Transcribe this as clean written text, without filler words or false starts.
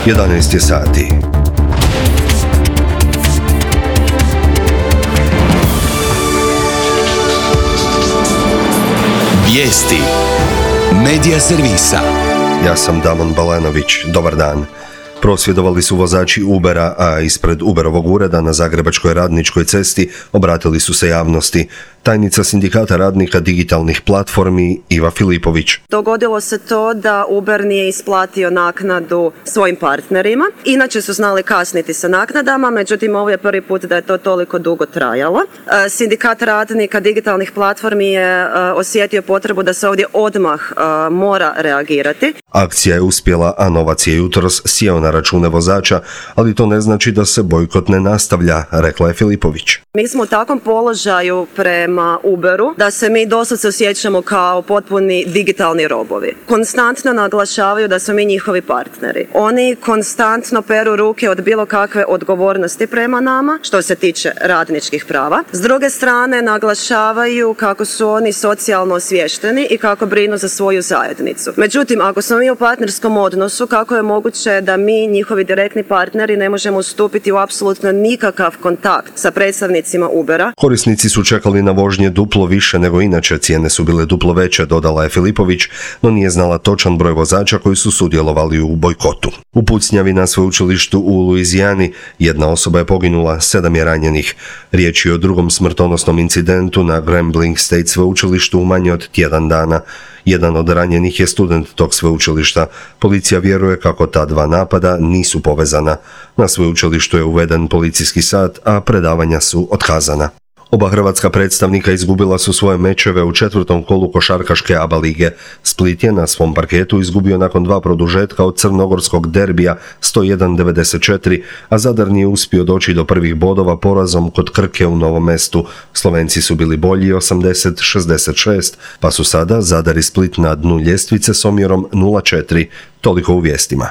11 je sati. Vijesti Medija servisa. Ja sam Damon Balanović. Dobar dan. Prosvjedovali su vozači Ubera, a ispred Uberovog ureda na Zagrebačkoj Radničkoj cesti obratili su se javnosti. Tajnica Sindikata radnika digitalnih platformi Iva Filipović. Dogodilo se to da Uber nije isplatio naknadu svojim partnerima. Inače su znali kasniti sa naknadama, međutim ovo je prvi put da je to toliko dugo trajalo. Sindikat radnika digitalnih platformi je osjetio potrebu da se ovdje odmah mora reagirati. Akcija je uspjela, a novac je jutros sjeo na račune vozača, ali to ne znači da se bojkot ne nastavlja, rekla je Filipović. Mi smo u takvom položaju prema Uberu da se mi doslovce osjećamo kao potpuni digitalni robovi. Konstantno naglašavaju da smo mi njihovi partneri. Oni konstantno peru ruke od bilo kakve odgovornosti prema nama što se tiče radničkih prava. S druge strane naglašavaju kako su oni socijalno osviješteni i kako brinu za svoju zajednicu. Međutim, ako smo mi u partnerskom odnosu, kako je moguće da mi, njihovi direktni partneri, ne možemo ustupiti u apsolutno nikakav kontakt sa predstavnicima Ubera? Korisnici su čekali na vožnje duplo više nego inače, cijene su bile duplo veće, dodala je Filipović, no nije znala točan broj vozača koji su sudjelovali u bojkotu. U pucnjavi na sveučilištu u Luizijani jedna osoba je poginula, 7 je ranjenih. Riječ je o drugom smrtonosnom incidentu na Grambling State sveučilištu u manje od tjedan dana. Jedan od ranjenih je student tog sveučilišta. Policija vjeruje kako ta dva napada nisu povezana. Na sveučilištu je uveden policijski sat, a predavanja su otkazana. Oba hrvatska predstavnika izgubila su svoje mečeve u četvrtom kolu košarkaške ABA lige. Split je na svom parketu izgubio nakon 2 produžetka od crnogorskog derbija 101-94, a Zadar nije uspio doći do prvih bodova porazom kod Krke u Novom Mestu. Slovenci su bili bolji 80-66, pa su sada Zadar i Split na dnu ljestvice s omjerom 0-4. Toliko u vijestima.